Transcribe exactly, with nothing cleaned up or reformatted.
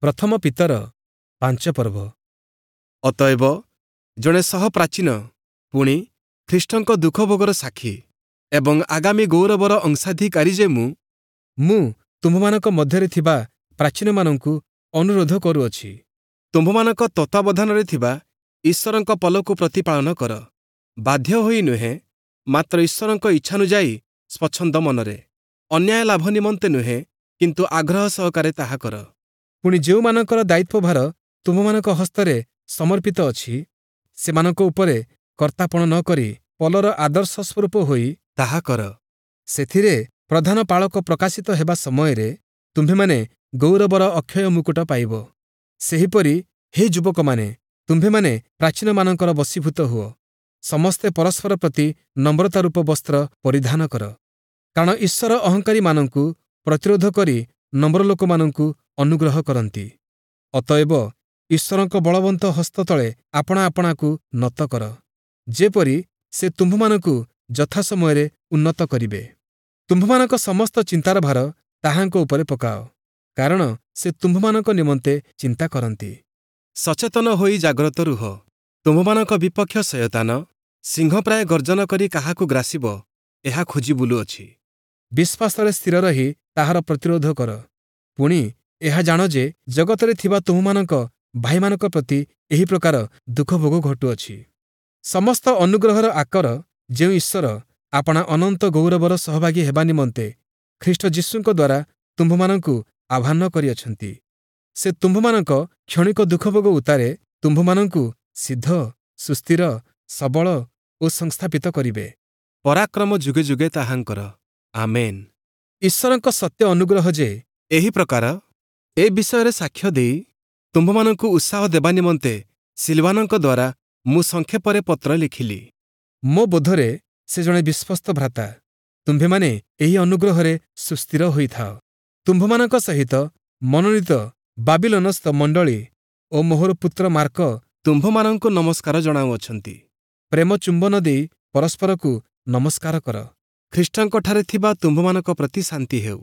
ପ୍ରଥମ ପିତର ପାଞ୍ଚ ପର୍ବ। ଅତଏବ ଜଣେ ସହପ୍ରାଚୀନ, ପୁଣି ଖ୍ରୀଷ୍ଟଙ୍କ ଦୁଃଖଭୋଗର ସାକ୍ଷୀ ଏବଂ ଆଗାମୀ ଗୌରବର ଅଂଶାଧିକାରୀ ଯେ ମୁଁ, ମୁଁ ତୁମ୍ଭମାନଙ୍କ ମଧ୍ୟରେ ଥିବା ପ୍ରାଚୀନମାନଙ୍କୁ ଅନୁରୋଧ କରୁଅଛି, ତୁମ୍ଭମାନଙ୍କ ତତ୍ତ୍ୱାବଧାନରେ ଥିବା ଈଶ୍ୱରଙ୍କ ପଲକୁ ପ୍ରତିପାଳନ କର, ବାଧ୍ୟ ହୋଇ ନୁହେଁ, ମାତ୍ର ଈଶ୍ୱରଙ୍କ ଇଚ୍ଛାନୁଯାୟୀ ସ୍ୱଚ୍ଛନ୍ଦ ମନରେ, ଅନ୍ୟାୟ ଲାଭ ନିମନ୍ତେ ନୁହେଁ, କିନ୍ତୁ ଆଗ୍ରହ ସହକାରେ ତାହା କର। ପୁଣି ଯେଉଁମାନଙ୍କର ଦାୟିତ୍ୱଭାର ତୁମ୍ଭମାନଙ୍କ ହସ୍ତରେ ସମର୍ପିତ ଅଛି, ସେମାନଙ୍କ ଉପରେ କର୍ତ୍ତାପଣ ନ କରି ପଲର ଆଦର୍ଶ ସ୍ୱରୂପ ହୋଇ ତାହା କର। ସେଥିରେ ପ୍ରଧାନ ପାଳକ ପ୍ରକାଶିତ ହେବା ସମୟରେ ତୁମ୍ଭେମାନେ ଗୌରବର ଅକ୍ଷୟ ମୁକୁଟ ପାଇବ। ସେହିପରି ହେ ଯୁବକମାନେ, ତୁମ୍ଭେମାନେ ପ୍ରାଚୀନମାନଙ୍କର ବଶୀଭୂତ ହୁଅ। ସମସ୍ତେ ପରସ୍ପର ପ୍ରତି ନମ୍ରତା ରୂପ ବସ୍ତ୍ର ପରିଧାନ କର, କାରଣ ଈଶ୍ୱର ଅହଙ୍କାରୀମାନଙ୍କୁ ପ୍ରତିରୋଧ କରି ନମ୍ର ଲୋକମାନଙ୍କୁ ଅନୁଗ୍ରହ କରନ୍ତି। ଅତଏବ ଈଶ୍ୱରଙ୍କ ବଳବନ୍ତ ହସ୍ତ ତଳେ ଆପଣା ଆପଣାକୁ ନତ କର, ଯେପରି ସେ ତୁମ୍ଭମାନଙ୍କୁ ଯଥାସମୟରେ ଉନ୍ନତ କରିବେ। ତୁମ୍ଭମାନଙ୍କ ସମସ୍ତ ଚିନ୍ତାର ଭାର ତାହାଙ୍କ ଉପରେ ପକାଅ, କାରଣ ସେ ତୁମ୍ଭମାନଙ୍କ ନିମନ୍ତେ ଚିନ୍ତା କରନ୍ତି। ସଚେତନ ହୋଇ ଜାଗ୍ରତ ରୁହ। ତୁମ୍ଭମାନଙ୍କ ବିପକ୍ଷ ଶୟତାନ ସିଂହ ପ୍ରାୟ ଗର୍ଜନ କରି କାହାକୁ ଗ୍ରାସିବ, ଏହା ଖୋଜି ବୁଲୁଅଛି। ବିଶ୍ୱାସରେ ସ୍ଥିର ରହି ତାହାର ପ୍ରତିରୋଧ କର। ପୁଣି ଏହା ଜାଣ ଯେ ଜଗତରେ ଥିବା ତୁମ୍ଭମାନଙ୍କ ଭାଇମାନଙ୍କ ପ୍ରତି ଏହି ପ୍ରକାର ଦୁଃଖଭୋଗ ଘଟୁଅଛି। ସମସ୍ତ ଅନୁଗ୍ରହର ଆକର ଯେଉଁ ଈଶ୍ୱର ଆପଣା ଅନନ୍ତ ଗୌରବର ସହଭାଗୀ ହେବା ନିମନ୍ତେ ଖ୍ରୀଷ୍ଟ ଯୀଶୁଙ୍କ ଦ୍ୱାରା ତୁମ୍ଭମାନଙ୍କୁ ଆହ୍ୱାନ କରିଅଛନ୍ତି, ସେ ତୁମ୍ଭମାନଙ୍କ କ୍ଷଣିକ ଦୁଃଖଭୋଗ ଉତ୍ତାରେ ତୁମ୍ଭମାନଙ୍କୁ ସିଦ୍ଧ, ସୁସ୍ଥିର, ସବଳ ଓ ସଂସ୍ଥାପିତ କରିବେ। ପରାକ୍ରମ ଯୁଗେ ଯୁଗେ ତାହାଙ୍କର। ଆମେନ୍। ଈଶ୍ୱରଙ୍କ ସତ୍ୟ ଅନୁଗ୍ରହ ଯେ ଏହି ପ୍ରକାର, ଏ ବିଷୟରେ ସାକ୍ଷ୍ୟ ଦେଇ ତୁମ୍ଭମାନଙ୍କୁ ଉତ୍ସାହ ଦେବା ନିମନ୍ତେ ସିଲବାନଙ୍କ ଦ୍ୱାରା ମୁଁ ସଂକ୍ଷେପରେ ପତ୍ର ଲେଖିଲି। ମୋ ବୋଧରେ ସେ ଜଣେ ବିଶ୍ୱସ୍ତ ଭ୍ରାତା। ତୁମ୍ଭେମାନେ ଏହି ଅନୁଗ୍ରହରେ ସୁସ୍ଥିର ହୋଇଥାଅ। ତୁମ୍ଭମାନଙ୍କ ସହିତ ମନୋନୀତ ବାବିଲୋନସ୍ଥ ମଣ୍ଡଳୀ ଓ ମୋହର ପୁତ୍ର ମାର୍କ ତୁମ୍ଭମାନଙ୍କୁ ନମସ୍କାର ଜଣାଉଅଛନ୍ତି। ପ୍ରେମ ଚୁମ୍ବନ ଦେଇ ପରସ୍ପରକୁ ନମସ୍କାର କର। ଖ୍ରୀଷ୍ଟଙ୍କଠାରେ ଥିବା ତୁମ୍ଭମାନଙ୍କ ପ୍ରତି ଶାନ୍ତି ହେଉ।